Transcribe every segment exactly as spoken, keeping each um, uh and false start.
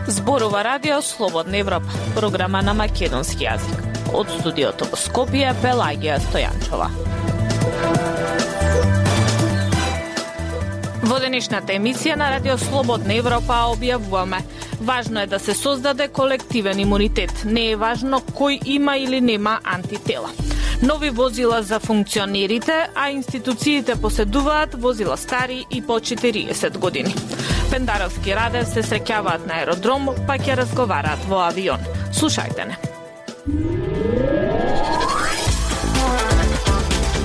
Зборува Радио Слободна Европа, програма на македонски јазик. Од студиото во Скопје, Пелагија Стојанчова. Во денешната емисија на Радио Слободна Европа објавуваме: важно е да се создаде колективен имунитет. Не е важно кој има или нема антитела. Нови возила за функционерите, а институциите поседуваат возила стари и по четириесет години. Пендаровски Радев се среќаваат на аеродром, па ќе разговараат во авион. Слушајте не.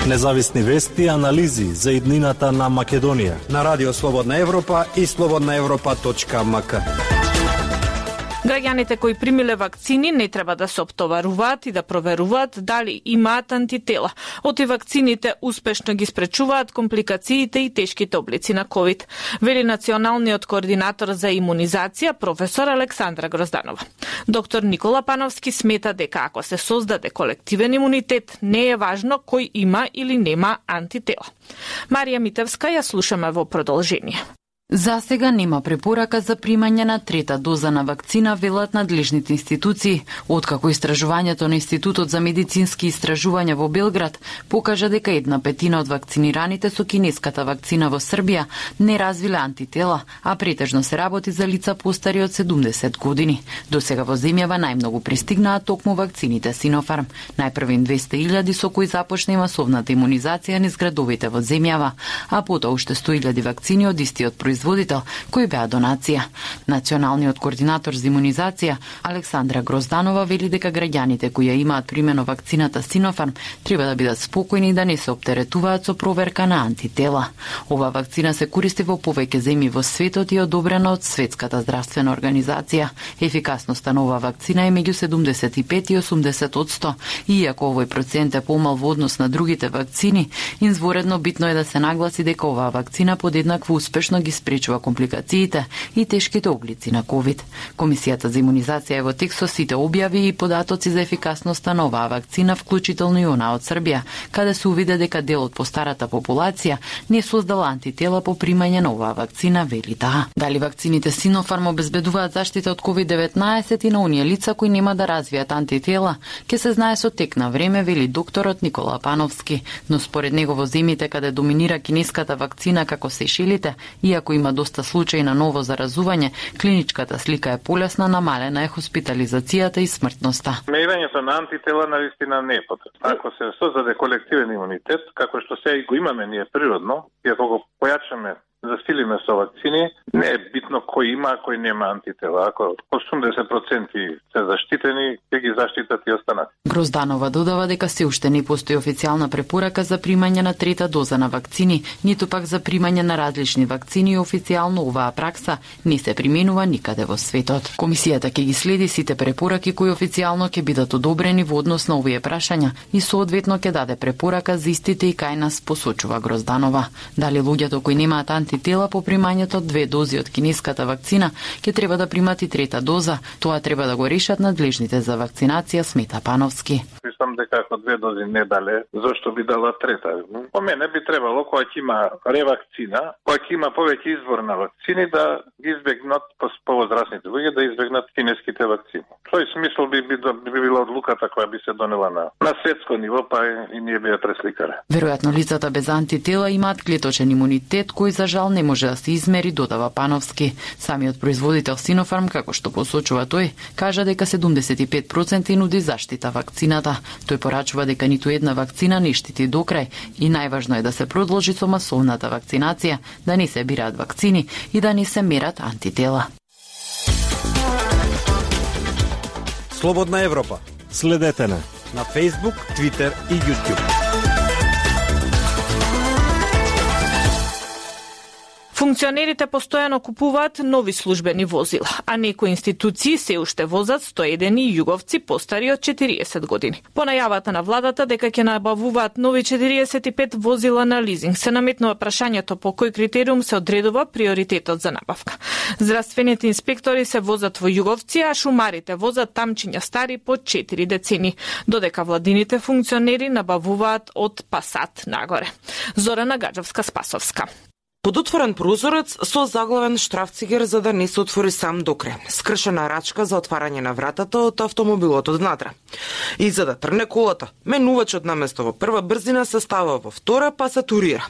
Независни вести и анализи за иднината на Македонија на Радио Слободна Европа и слободна европа точка ем ка. Граѓаните кои примиле вакцини не треба да се оптоваруваат и да проверуваат дали имаат антитела. Оти вакцините успешно ги спречуваат компликациите и тешките облици на ковид, вели националниот координатор за имунизација професор Александра Грозданова. Доктор Никола Пановски смета дека ако се создаде колективен имунитет, не е важно кој има или нема антитела. Марија Митевска ја слушаме во продолжение. За сега нема препорака за примање на трета доза на вакцина, велат надлежните институции, откако истражувањето на Институтот за медицински истражувања во Белград покажа дека една петина од вакцинираните со кинеската вакцина во Србија не развиле антитела, а претежно се работи за лица постари од седумдесет години. До сега во земјава најмногу пристигнаа токму вакцините Синофарм, најпрви двесте илјади со кои започна и масовната имунизација низ градовите во земјава, а потоа уште сто илјади вакцини од истиот производител кој беа донација. Националниот координатор за имунизација Александра Грозданова вели дека граѓаните кои ја имаат примено вакцината Синофарм треба да бидат спокојни и да не се оптеретуваат со проверка на антитела. Ова вакцина се користи во повеќе земји во светот и е одобрена од Светската здравствена организација. Ефикасноста на ова вакцина е меѓу седумдесет и пет и осумдесет одсто, и иако овој процент е помал во однос на другите вакцини, изворедно битно е да се нагласи дека оваа вакцина подеднакво успешно ги спречува компликациите и тешките облици на ковид. Комисијата за имунизација е во текст со сите објави и податоци за ефикасноста на оваа вакцина, вклучително и она од Србија, каде се увиде дека дел од постарата популација не создала антитела по примање на оваа вакцина, вели таа. Дали вакцините Синофарм обезбедуваат заштита од ковид деветнаесет и на оние лица кои нема да развијат антитела, ќе се знае со тек на време, вели докторот Никола Пановски, но според него во земјите каде доминира кинеската вакцина како Сејшелите, иако има доста случаи на ново заразување, клиничката слика е полесна, намалена е хоспитализацијата и смртноста. Мерењето на антитела навистина не е потребно. Ако се создаде колективен имунитет, како што сега и го имаме ние природно, и ако го појачаме, засилиме со вакцини, не е битно кој има, а кој нема антитела. Ако осумдесет проценти се заштитени, ќе ги заштитат и останати. Грозданова додава дека се уште не постои официјална препорака за примање на трета доза на вакцини, ниту пак за примање на различни вакцини, и официјално оваа пракса не се применува никаде во светот. Комисијата ќе ги следи сите препораки кои официјално ќе бидат одобрени во однос на овие прашања и соодветно ќе даде препорака за истите и кај нас, посочува Грозданова. Дали луѓето кои немаат антитела по примањето две дози од кинеската вакцина ќе треба да примат и трета доза, тоа треба да го решат надлежните за вакцинација, смета Пановски. Мислам дека ако две дози не дале, зошто би дала трета? По мене би требало кога ќе има ревакцина, кога ќе има повеќе избор на вакцини, да ги избегнат повозрасните луѓе да избегнат кинеските вакцини. Тој смисол би, би, би била одлуката која би се донела на, на светско ниво, па и, и ние би ја пресликале. Веројатно лицата без антитела имаат клеточен имунитет кој за жал не може да се измери, додава Пановски. Самиот производител Синофарм, како што посочува тој, кажа дека седумдесет и пет проценти нуди заштита вакцината. Тој порачува дека ниту една вакцина не штити до крај и најважно е да се продолжи со масовната вакцинација, да не се бираат вакцини и да не се мерат антитела. Слободна Европа. Следете на на Facebook, Twitter и YouTube. Функционерите постојано купуваат нови службени возила, а некои институции се уште возат сто и еден југовци постари од четириесет години. По најавата на владата дека ќе набавуваат нови четириесет и пет возила на лизинг, се наметнува прашањето по кој критериум се одредува приоритетот за набавка. Здравствените инспектори се возат во југовци, а шумарите возат тамчиња стари по четири децени, додека владините функционери набавуваат од Пасат нагоре. Зорана Гаджевска-Спасовска. Под отворен прозорец со заглавен штрафцигер за да не се отвори сам до крај. Скршена рачка за отварање на вратата од автомобилот однатре. И за да тргне колата, менувачот наместо во прва брзина се става во втора, па се турира.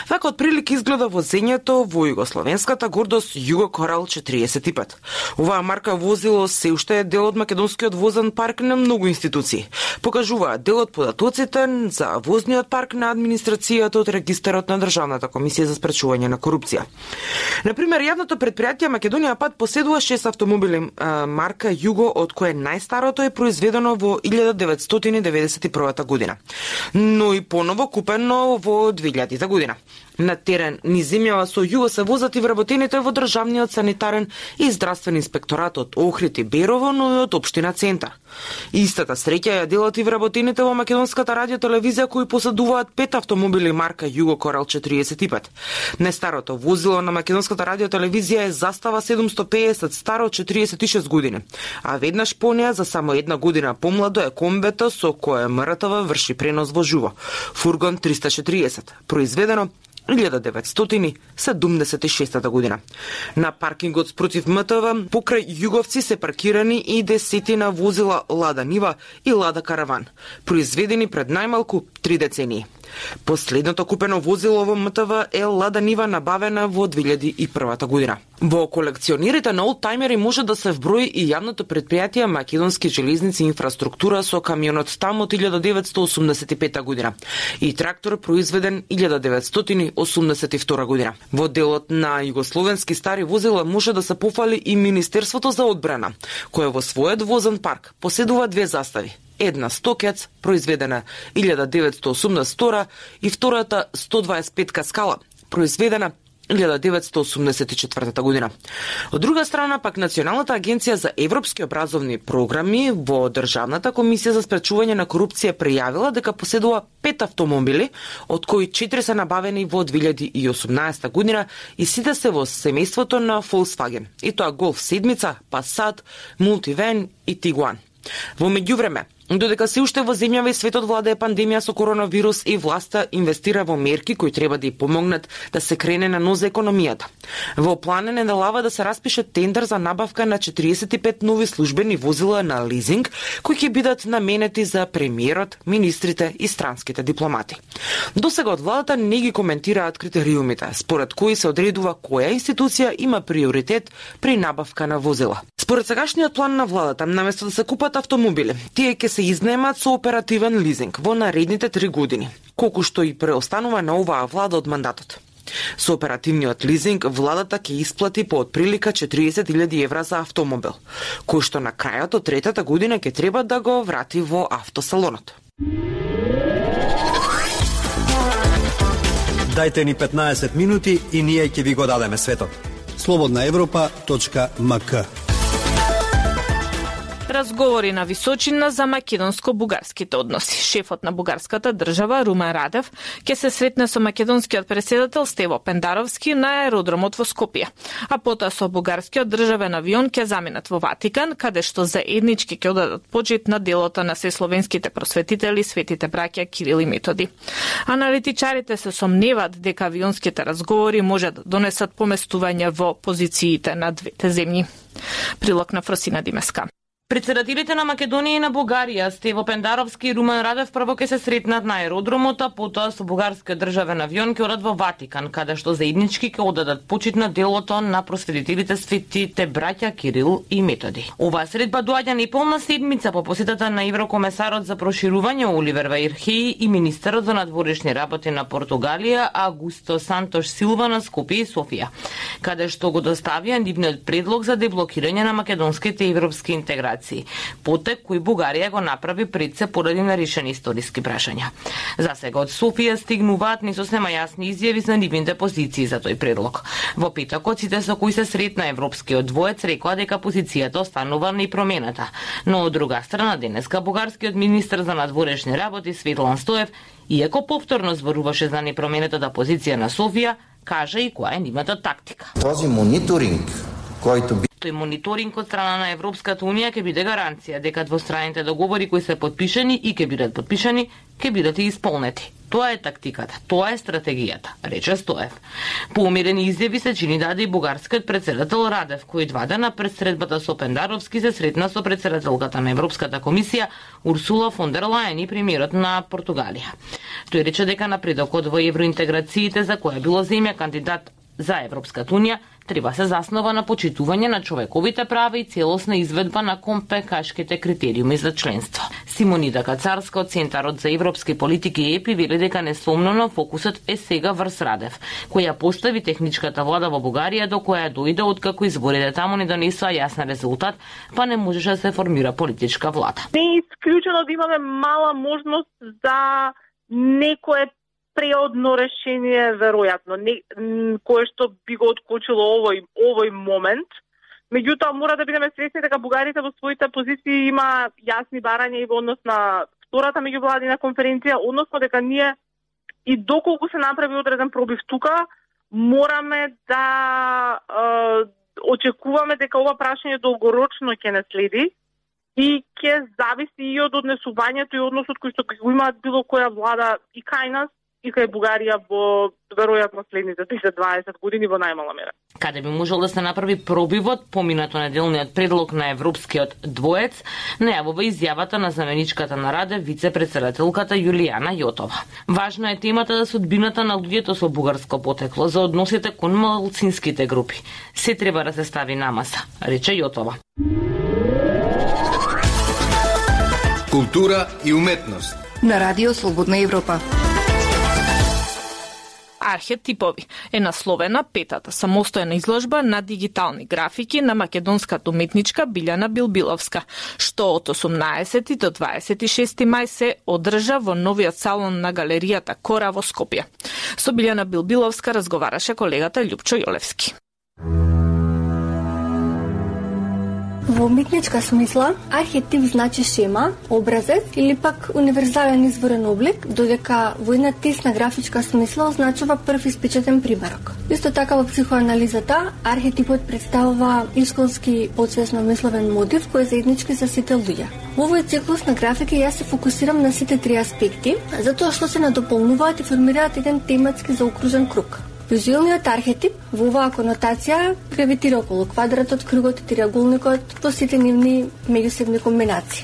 Вака отприлик изгледа возењето во југословенската гордост Југо Корал четириесет и пет. Оваа марка возило се уште е дел од македонскиот возен парк на многу институции. Покажуваат дел од податоците за возниот парк на администрацијата од регистарот на Државната комисија за спречување на корупција. Например, јавното предпријатие Македонија пат поседува шест автомобили а, марка Југо, од кое најстарото е произведено во илјада деветстотини деветдесет и прва година, но и поново купено во две илјадите година. На терен низ земјава со Југо се возат и вработените во државниот санитарен и здравствен инспекторат од Охрид и Берово, но и од општина Центар. Истата среќа ја делат и вработените во македонската радиотелевизија кои поседуваат пет автомобили марка Југо Корал четириесет и пет. Најстарото возило на македонската радиотелевизија е Застава седумсто педесет, старо четириесет и шест години, а веднаш по неа за само една година помладо е комбето со кое МРТВ врши пренос во живо. Фургон триста четириесет, произведено илјада деветстотини седумдесет и шеста година. На паркингот спротив МТВ покрај Југовци се паркирани и десетина возила Лада Нива и Лада Караван, произведени пред најмалку три децении. Последното купено возило во МТВ е Лада Нива, набавена во две илјади и прва година. Во колекционерите на олдтаймери може да се вброи и јавното предпријатие Македонски железници инфраструктура со камионот там од илјада деветстотини осумдесет и пета година и трактор произведен илјада деветстотини осумдесет и втора година. Во делот на југословенски стари возила може да се пофали и Министерството за одбрана, кое во својот возен парк поседува две застави. Една Стокец, произведена илјада деветстотини осумдесет и втора и втората сто дваесет и петка Скала, произведена илјада деветстотини осумдесет и четвртата година. Од друга страна, пак Националната агенција за европски образовни програми во Државната комисија за спречување на корупција пријавила дека поседува пет автомобили, од кои четири се набавени во две илјади и осумнаесета година и сите се во семејството на Volkswagen, и тоа Golf седмица, Passat, Multivan и Tiguan. Во меѓувреме, додека се уште во земјава и светот владее пандемија со коронавирус и власта инвестира во мерки кои треба да ја помогнат да се крене на ноза економијата. Во план е неделава да се распише тендер за набавка на четириесет и пет нови службени возила на лизинг, кои ќе бидат наменети за премиерот, министрите и странските дипломати. Досега од владата не ги коментираат критериумите, според кои се одредува која институција има приоритет при набавка на возила. Според сегашниот план на владата, наместо да се купат автомобили, тие ќе се изнемат со оперативен лизинг во наредните три години, колку што и преостанува на оваа влада од мандатот. Со оперативниот лизинг владата ќе исплати по отприлика четириесет илјади евра за автомобил, кој што на крајот од третата година ќе треба да го врати во автосалонот. Дајте ни петнаесет минути и ние ќе ви го дадеме светот. слободна европа точка ем ка. Разговори на височина за македонско-бугарските односи. Шефот на бугарската држава Румен Радев ќе се сретне со македонскиот председател Стево Пендаровски на аеродромот во Скопје, а потоа со бугарскиот државен авион ќе заминат во Ватикан, каде што заеднички ќе одадат почит на делото на сесловенските просветители светите браќа Кирил и Методи. Аналитичарите се сомневаат дека авионските разговори може да донесат поместување во позициите на двете земји. Прилог на Фросина Димеска. Председателите на Македонија и на Бугарија, Стево Пендаровски и Румен Радев, прво ќе се сретнат на аеродромот, а потоа со бугарскиот државен авион ќе одат во Ватикан, каде што заеднички ќе одадат почит на делото на просветителите светите браќа Кирил и Методи. Оваа средба доаѓа неполна седмица по посетата на еврокомесарот за проширување Оливер Вајрхеј и министерот за надворешни работи на Португалија Агусто Сантош Силва на Скопје и Софија, каде што го доставија нивниот предлог за деблокирање на македонските европски интеграции цивилизации, потек кој Бугарија го направи пред се поради нарешени историски прашања. За сега од Софија стигнуваат несоснема јасни изјави за нивните позиции за тој предлог. Во петокот сите со кои се сретна европскиот двоец рекоа дека позицијата останува непроменета, но од друга страна денеска бугарскиот министер за надворешни работи Светлан Стоев, иако повторно зборуваше за непроменетата позиција на Софија, кажа и која е нивната тактика. Този мониторинг којто би Тој мониторинг од страна на Европската унија ќе биде гаранција дека двостранните договори кои се подпишани и ќе бидат подпишани, ќе бидат и исполнети. Тоа е тактиката, тоа е стратегијата, рече Стоев. По умерени изјави се чини даде и бугарскиот председател Радев, кој два дена пред средбата со Пендаровски се сретна со председателката на Европската комисија Урсула фон дер Лајен и премиерот на Португалија. Тој рече дека напредокот во евроинтеграциите за која било земја кандидат за Европската унија треба се заснова на почитување на човековите права и целосна изведба на компекашките критериуми за членство. Симонида Кацарска од Центарот за европски политики ЕПИ вели дека несомнено фокусот е сега врз Радев, која постави техничката влада во Бугарија до која дојде откако изборите таму не донесоа јасен резултат, па не можеше да се формира политичка влада. Не е исклучено да имаме мала можност за некое преодно решение, веројатно, не, кое што би го откочило овој, овој момент. Меѓутоа, мора да бидеме свесни дека бугарите во своите позиции има јасни барања и во однос на втората меѓувладина конференција, односно дека ние и доколку се направи одреден пробив тука, мораме да е, очекуваме дека ова прашање долгорочно ќе не следи и ќе зависи и од однесувањето и односот кој што го имаат било која влада и кај нас, и кај Бугарија во веројатно следните десет до дваесет години во најмала мера. Каде би можел да се направи пробивот, поминато неделниот предлог на европскиот двоец, најавува изјавата на заменичката на Радев, вице-председателката Јулијана Јотова. Важна е темата за судбината на луѓето со бугарско потекло, за односите кон малцинските групи. Се треба да се стави на маса, рече Јотова. Култура и уметност на Радио Слободна Европа. Архетипови е насловена петата самостојна изложба на дигитални графики на македонската уметничка Билјана Билбиловска, што од осумнаесети до дваесет и шести мај се одржа во новиот салон на галеријата Кора во Скопје. Со Билјана Билбиловска разговараше колегата Љупчо Јолевски. Во уметничка смисла, архетип значи шема, образец или пак универзален изворен облик, додека во една тесна графичка смисла означува прв испечатен примерок. Исто така во психоанализата, архетипот представува исконски подсвесно мисловен мотив кој е заеднички за сите луѓе. Во овој циклус на графики јас се фокусирам на сите три аспекти, затоа што се надополнуваат и формираат еден тематски заокружен круг. Визуелниот архетип во оваа конотација гравитира околу квадратот, кругот и триаголникот во сите нивни меѓусебни комбинации.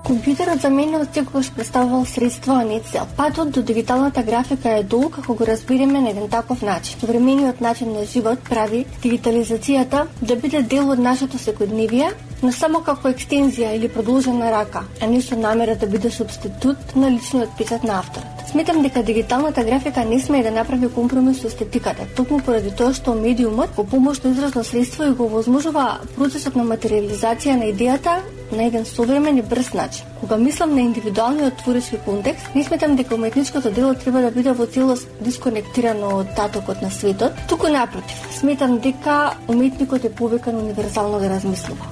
Компјутерот за мене од секогаш представувал средство, а не цел. Патот до дигиталната графика е долг ако го разбереме на еден таков начин. Современиот начин на живот прави дигитализацијата да биде дел од нашето секојдневие, но само како екстензија или продолжена рака, а не со намера да биде субститут на личниот печат на авторот. Сметам дека дигиталната графика не смее да направи компромис со естетиката, токму поради тоа што медиумот во помошно изразно средство и го возможува процесот на материализација на идејата на еден современ и брз начин. Кога мислам на индивидуалниот творечки контекст, не сметам дека уметничкото дело треба да биде во целост дисконектирано од татокот на светот, туку напротив, сметам дека уметникот е повикан универзално да размислува.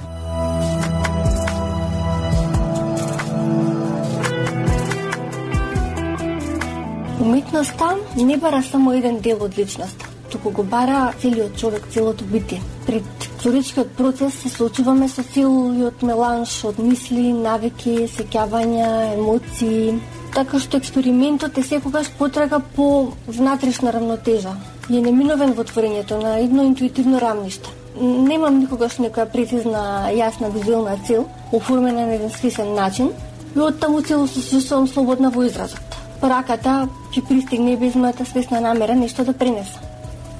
Уметноста не бара само еден дел од личноста, туку го бара целиот човек, целото битие. Пред творечкиот процес се соочуваме со целиот меланж од мисли, навики, сеќавања, емоции, така што експериментот е секогаш потрага по внатрешна равнотежа и е неминовен во творењето на едно интуитивно рамниште. Немам никогаш некоја прецизна, јасна визуелна цел, оформена на еден свесен начин, и оттаму цело се чувствувам слободна во изразот. Пораката ќе пристигне без мојата свесна намера нешто да пренесам.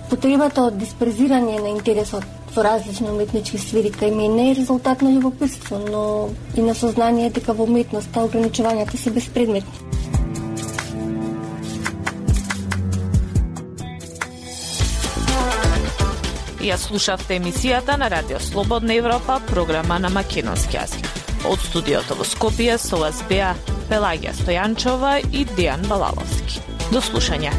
Потребата од диспрезирање на интересот во различни уметнички сфери кај мене е резултат на љубопитство, но и на сознание дека во уметноста ограничувањата се безпредметни. Ја слушавте емисијата на Радио Слободна Европа, програма на македонски јазик. Од студиото во Скопје со вас беа Пелагија Стојанчова и Дејан Балаловски. До слушање.